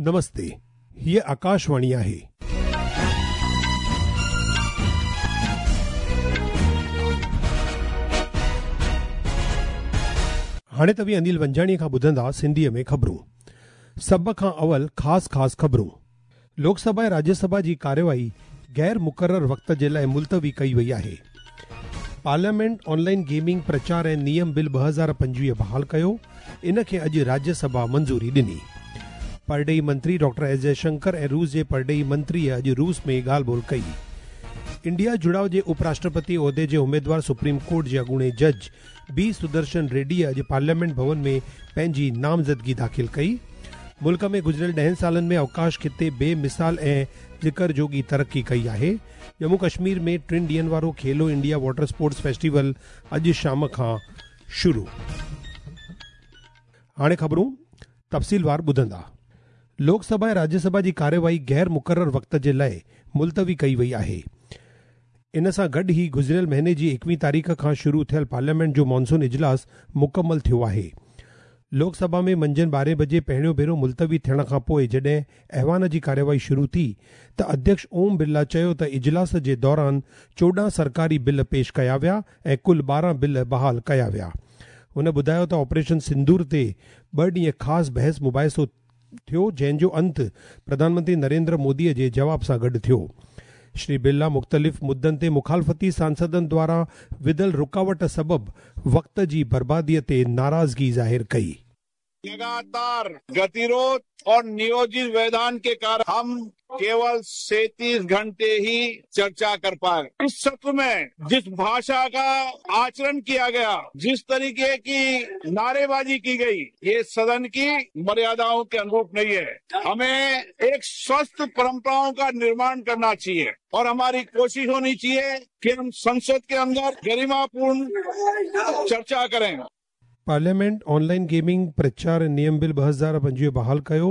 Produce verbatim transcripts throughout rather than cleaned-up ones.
नमस्ते, हीअ आकाशवाणी आहे। हाणे तव्हीं अनिल वंजाणी खां ॿुधंदा सिंधीअ में ख़बरूं। सभ खां अवल ख़ासि ख़ासि ख़बरूं। लोकसभा ऐं राज्यसभा जी कार्यवाही गैर मुक़रर वक़्त जे लाइ मुलतवी कई वई आहे। पार्लियामेंट ऑनलाइन गेमिंग प्रचार ऐं नियम बिल ॿ हज़ार पंजवीह बहाल कयो, इन खे अॼु राज्यसभा मंज़ूरी ॾिनी। परॾेही मंत्री डॉक्टर एस जयशंकर ऐं रूस जे परॾेही मंत्रीअ अॼु रूस में ॻाल्हि ॿोल कई। इंडिया जुड़ाव जे उपराष्ट्रपति उहिदे जे उमेदवार सुप्रीम कोर्ट जे अॻूणे जज बी सुदर्शन रेड्डी अॼु पार्लियामेंट भवन में पंहिंजी नामज़दगी दाख़िल कई। मुल्क में गुज़िरियल ॾहनि सालनि में अवकाश खिते बेमिसाल ऐं ज़िक्र जोगी तरक़ी कई आहे। जम्मू कश्मीर में टिनि ॾींहनि वारो खेलो इंडिया वाटर स्पोर्ट्स फेस्टिवल अॼु शाम खां शुरू। हाणे ख़बरूं तफ़सीलवार ॿुधंदा। लोकसभा ऐं राज्यसभा जी कार्यवाही गैर मुक़रर वक़्त जे लाइ मुलतवी कई वई आहे। इन सां गॾु ई गुज़िरियल महीने जी एकवीह तारीख़ खां शुरू थियल पार्लियामेंट जो मानसून इजलास मुकमल थियो आहे। लोकसभा में मंझंदि ॿारहें बजे पहिरियों भेरो मुलतवी थियण खां पोइ जॾहिं ऐवान जी कार्यवाही शुरू थी त अध्यक्ष ओम बिरला चयो त इजलास जे दौरान चोॾहं सरकारी बिल पेश कया विया ऐं कुल ॿारहं बिल बहाल कया विया। हुन ॿुधायो त ऑपरेशन सिंदूर ते ॿ ॾींहं ख़ासि बहस मुबाहिसो थियो, जंहिंजो अंत प्रधानमंत्री नरेंद्र मोदीअ जे जवाब सां गॾु थियो। श्री बिरला मुख़्तलिफ़ मुद्दनि ते मुखालफ़ती सांसदनि द्वारा विधल रुकावट सबबु वक़्त जी बर्बादीअ ते नाराज़गी ज़ाहिर कई। लगातार गतिरोध और नियोजित व्यवधान के कारण हम केवल सैंतीस घंटे ही चर्चा कर पाए। इस सत्र में जिस भाषा का आचरण किया गया, जिस तरीके की नारेबाजी की गई, ये सदन की मर्यादाओं के अनुरूप नहीं है। हमें एक स्वस्थ परंपराओं का निर्माण करना चाहिए और हमारी कोशिश होनी चाहिए कि हम संसद के अंदर गरिमापूर्ण चर्चा करें। पार्लियामेंट ऑनलाइन गेमिंग प्रचार नियम बिल ॿ हज़ार पंजवीह बहाल कयो,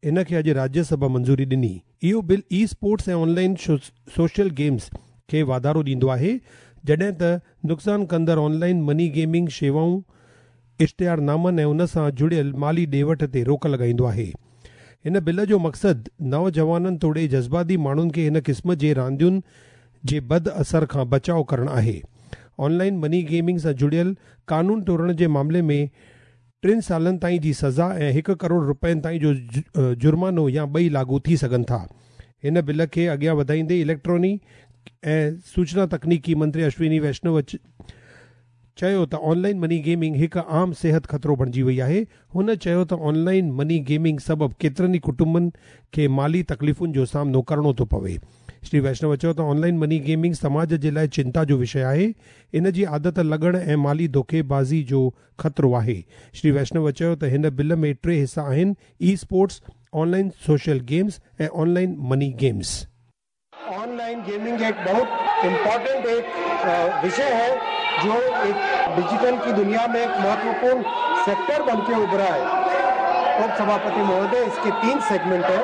इन खे अॼु राज्यसभा मंज़ूरी ॾिनी। इहो बिल ई स्पोर्ट्स ऐं ऑनलाइन सोशल गेम्स खे वाधारो ॾींदो आहे, जॾहिं त नुक़सान कंदड़ ऑनलाइन मनी गेमिंग शेवाऊं, इश्तिहारनामनि ऐं उन सां जुड़ियल माली ॾे वठ ते रोक लॻाईंदो आहे। हिन बिल जो मक़सदु नौजवाननि तोड़े जज़्बाती माण्हुनि खे हिन क़िस्म जे रांदियुनि जे बद असर खां बचाव करणु आहे। ऑनलाइन मनी गेमिंग सां जुड़ियल कानून टोड़ण जे मामले में टिनि सालनि ताईं जी सज़ा ऐं हिकु करोड़ रुपयनि ताईं जो जुर्मानो या ॿई लागू थी सघनि था। हिन बिल खे अॻियां वधाईंदे इलेक्ट्रॉनिक ऐं सूचना तकनीकी मंत्री अश्विनी वैष्णव चयो त ऑनलाइन मनी गेमिंग हिकु आम सिहत ख़तरो बणिजी वई आहे। हुन चयो त ऑनलाइन मनी गेमिंग सबबु केतिरनि ई कुटुंबनि खे माली तकलीफ़ुनि जो सामनो करिणो थो पवे। श्री वैष्णव चयो त ऑनलाइन मनी गेमिंग समाज जे लाइ चिंता जो विषय आहे, इन जी आदत लॻण ऐं माली धोखेबाज़ी जो ख़तरो आहे। श्री वैष्णव चयो त हिन बिल में टे हिस्सा आहिनि, e sports, online social games ऐं online money games. Online gaming एक बहुत इम्पोर्टेंट एक विषय है जो एक डिजिटल की दुनिया में एक महत्वपूर्ण सेक्टर बनके उभरा है। उपसभापति महोदय, इसके तीन सेगमेंट है।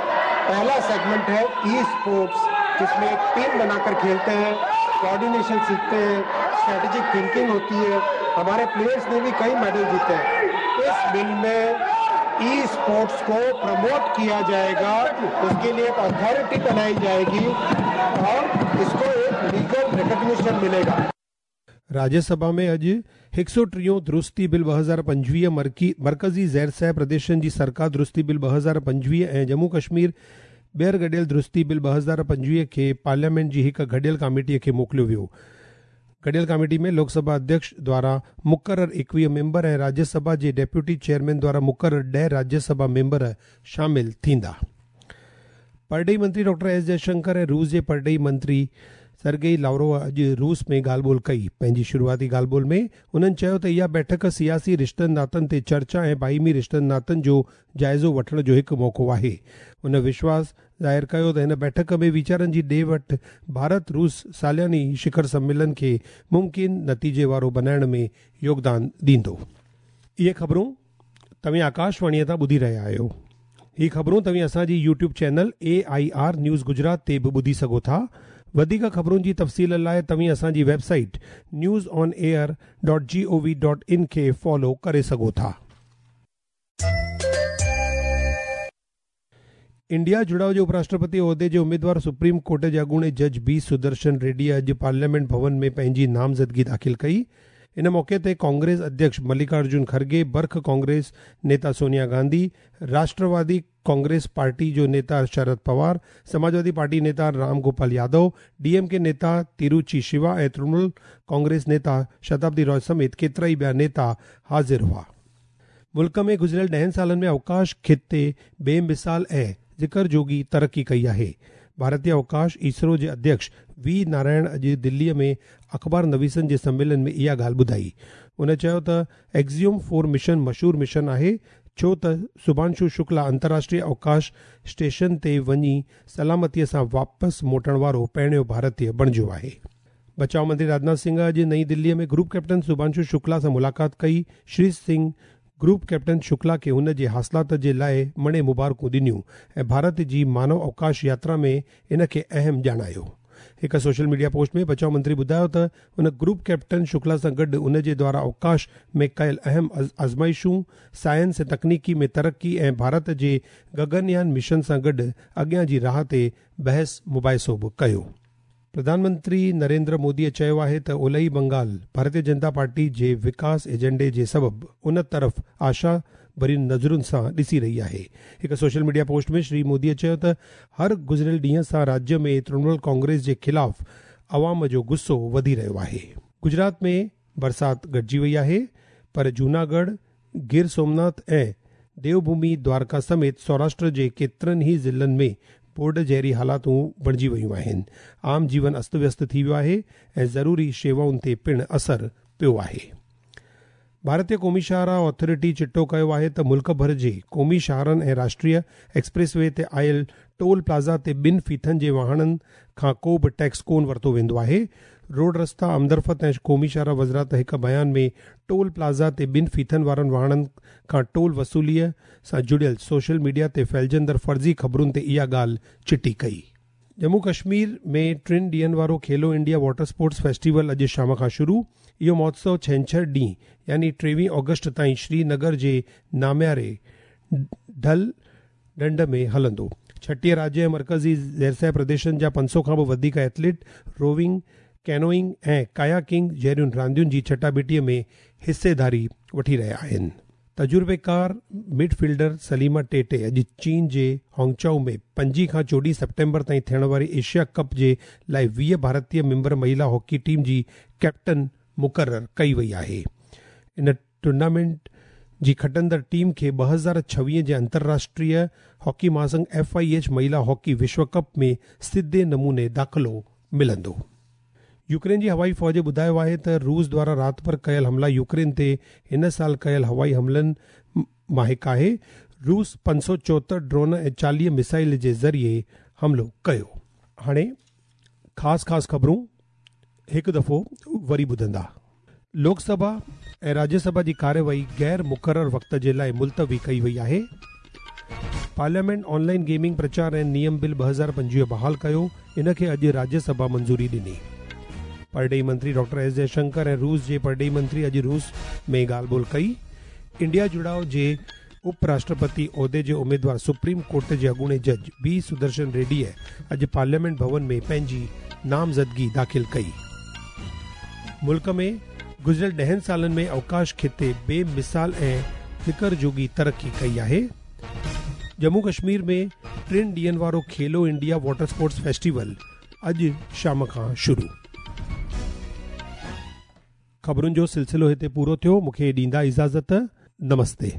पहला सेगमेंट है ई स्पोर्ट्स, जिसमें एक टीम बनाकर खेलते हैं, कोऑर्डिनेशन सीखते हैं, स्ट्रेटेजिक थिंकिंग होती है। हमारे प्लेयर्स ने भी कई मेडल जीते हैं। इस बिल में ई स्पोर्ट्स को प्रमोट किया जाएगा, उसके लिए एक अथॉरिटी बनाई जाएगी और इसको एक लीगल रिकॉग्निशन मिलेगा। राज्यसभा में अॼु हिकु सौ टीहों दुरुस्ती बिल ॿ हज़ार पंजवीह, मर्कज़ी ज़ैर प्रदेशनि जी सरकार दुरुस्ती बिल ॿ हज़ार पंजवीह ऐं जम्मू कश्मीर ॿीहर गॾियल दुरुस्ती बिल ॿ हज़ार पंजवीह खे पार्लियामेंट जी हिकु गॾियल कमेटीअ खे मोकिलियो वियो। गॾियल कमेटी में लोकसभा अध्यक्ष द्वारा मुक़रर एकवीह मेंबर ऐं राज्यसभा जे डेप्यूटी चेयरमैन द्वारा मुक़रर ॾह राज्यसभा मेंबर शामिल थींदा। परॾेही मंत्री डॉक्टर एस जयशंकर ऐं रूस जे परॾेही मंत्री सरगेई लावरोव अॼु रूस में ॻाल्हि ॿोल कई। पंहिंजी शुरूआती ॻाल्हि ॿोल में उन्हनि चयो त इहा बैठक सियासी रिश्तनि नातनि ते चर्चा ऐं बाहिमी रिश्तनि नातनि जो जाइज़ो वठण जो हिकु मौक़ो आहे। हुन विश्वास ज़ाहिर कयो त हिन बैठक में वीचारनि जी ॾे वठि भारत रूस सालियानी शिखर सम्मेलन खे मुमकिन नतीजे वारो बणाइण में योगदान ॾींदो। इहे ख़बरूं तव्हीं आकाशवाणीअ तां ॿुधी रहिया आहियो। ही ख़बरूं तव्हीं असांजी YouTube channel A I R news Gujarat ते बि ॿुधी सघो था। वधीक ख़बरुनि जी तफ़सील लाइ तव्हीं असांजी website news on air dot G O V dot in खे फॉलो करे सघो था। इंडिया जुड़ाव जे उपराष्ट्रपति ओहदे जे उम्मीदवार सुप्रीम कोर्ट जे अॻूणे जज बी सुदर्शन रेड्डी अॼु पार्लियामेंट भवन में पंहिंजी नामज़दगी दाख़िल कई। इन मौके ते कांग्रेस अध्यक्ष मल्लिकार्जुन खड़गे, बर्ख कांग्रेस नेता सोनिया गांधी, राष्ट्रवादी कांग्रेस पार्टी जो नेता शरद पवार, समाजवादी पार्टी नेता राम गोपाल यादव, डीएमके नेता तिरुचि शिवा ऐं तृणमूल कांग्रेस नेता शताब्दी रॉय समेत केतिरा ई ॿिया नेता हाज़िर हुआ। मुल्क में गुज़िरियल ॾहनि सालनि में अवकाश खिते बेमिसाल ऐं ज़िक्र जोगी तरक़ी कई आहे। भारतीय अवकाश इसरो जे अध्यक्ष we Narayan अॼु दिल्लीअ में अख़बार नवीसनि जे सम्मेलन में इहा ॻाल्हि ॿुधाई। उन चयो त एक्सियम फोर मिशन मशहूर मिशन आहे, छो त शुभांशु शुक्ला अंतर्राष्ट्रीय अवकाश स्टेशन ते वञी सलामतीअ सां वापसि मोटण वारो पहिरियों भारतीय बणिजो आहे। बचाव मंत्री राजनाथ सिंह अॼु नई दिल्लीअ में ग्रुप कैप्टन शुभांशु शुक्ला सां मुलाक़ात कई। श्री सिंह ग्रुप कैप्टन शुक्ला खे हुन जे हासिलात जे लाइ मणे मुबारकूं ॾिनियूं ऐं भारत जी मानव अवकाश यात्रा में इन खे अहम ॼाणायो। हिकु सोशल मीडिया पोस्ट में बचाव मंत्री ॿुधायो त हुन ग्रुप कैप्टन शुक्ला सां गॾु उन जे द्वारा अवकाश में कयल अहम आज़माइशूं, साइंस ऐं तकनीकी में तरक़ी ऐं भारत जे गगनयान मिशन सां गॾु अॻियां जी राह ते बहस मुबाहिसो बि कयो। प्रधानमंत्री नरेंद्र मोदीअ चयो आहे त ओलही बंगाल भारतीय जनता पार्टी जे विकास एजेंडे जे सबबु उन तरफ़ आशा भरियुनि नज़रुनि सां ॾिसी रही आहे। हिकु सोशल मीडिया पोस्ट में श्री मोदीअ चयो त हर गुज़िरियल ॾींहं सां राज्य में तृणमूल कांग्रेस जे ख़िलाफ़ अवाम जो गुस्सो वधी रहियो आहे। गुजरात में बरसाति घटिजी वई आहे, पर जूनागढ़, गिर सोमनाथ ऐं देवभूमि द्वारका समेत सौराष्ट्र जे केतिरनि ई ज़िलनि में बोर्ड जहिड़ी हालातूं बणिजी वयूं आहिनि। आम जीवन अस्त व्यस्त थी वियो आहे ऐं ज़रूरी शेवाउनि ते पिणु असर पियो आहे। भारतीय क़ौमी शाहराह अथॉरिटी चिटो कयो आहे त मुल्क भर जे क़ौमी शाहरनि ऐं राष्ट्रीय एक्सप्रेस वे ते आयल टोल प्लाज़ा ते ॿिनि फ़ीथनि जे वाहणनि खां को बि टैक्स कोन वरितो वेंदो आहे। रोड रस्ता आमदरफ़्त ऐं क़ौमी शाहराह वज़ारत हिकु बयान में टोल प्लाज़ा ते ॿिनि फ़ीथनि वारनि वाहणनि खां टोल वसूलीअ सां जुड़ियल सोशल मीडिया ते फैलिजंदड़ फ़र्ज़ी ख़बरुनि ते इहा ॻाल्हि चिटी कई। जम्मू कश्मीर में टिनि ॾींहनि वारो Khelo India water sports festival अॼु शाम खां शुरू। इहो महोत्सव छेंछर ॾींहुं यानी टेवीह ऑगस्ट ताईं श्रीनगर जे नामियारे ढल ढंड में हलंदो। छटीह राज्य ऐं मर्कज़ी ज़ेरसह प्रदेशनि जा पंज सौ खां बि वधीक एथलीट रोविंग, कैनोइंग ऐं कायाकिंग जहिड़ियुनि रांदियुनि जी चटाबेटीअ में हिस्सेदारी वठी रहिया आहिनि। तजुर्बेकार मिडफील्डर सलीमा टेटे अॼु चीन जे हांगचाओ में पंजी खां चोॾहं सेप्टेम्बर ताईं थियण वारी एशिया कप जे लाइ वीह भारतीय मेंबर महिला हॉकी टीम जी कैप्टन मुक़ररु कई वई आहे। इन टूर्नामेंट जी खटंदड़ टीम खे ॿ हज़ार छवीह जे अंतर्राष्ट्रीय हॉकी महासंघ एफ I H महिला हॉकी विश्व कप में सिधे नमूने दाख़िलो मिलंदो। यूक्रेन जी हवाई फ़ौज ॿुधायो आहे त रूस द्वारा राति भरि कयल हमला यूक्रेन ते हिन साल कयल हवाई हमलनि मां हिकु आहे। रूस पंज सौ चोहतरि ड्रोन ऐं चालीह मिसाइल जे ज़रिए हमलो कयो। हाणे ख़ासि ख़ासि ख़बरूं हिकु दफ़ो वरी ॿुधंदा। लोकसभा ऐं राज्यसभा जी कार्यवाही गैर मुक़ररु वक़्त जे लाइ मुलतवी कई वई आहे। पार्लियामेंट ऑनलाइन गेमिंग प्रचार ऐं नियम बिल ॿ हज़ार पंजवीह बहाल कयो, इन खे अॼु राज्यसभा मंज़ूरी ॾिनी। परॾेही मंत्री डॉक्टर एस जयशंकर ऐं रूस जे परॾेही मंत्री अॼु रूस में ॻाल्हि ॿोल कई। इंडिया जुड़ाव जे उपराष्ट्रपति ओहदे जे उम्मीदवार सुप्रीम कोर्ट जे अॻूणे जज बी सुदर्शन रेड्डीअ अॼु पार्लियामेंट भवन में पंहिंजी नामज़दगी दाख़िल कई। मुल्क में गुज़िरियल ॾहनि सालनि में अवकाश खिते बेमिसाल ऐं फ़िक्र जोगी तरक़ी कई आहे। जम्मू कश्मीर में टिनि ॾींहनि वारो Khelo India water sports festival अॼु शाम खां शुरू। ख़बरुनि जो सिलसिलो हिते पूरो थियो। मूंखे ॾींदा इजाज़त। नमस्ते।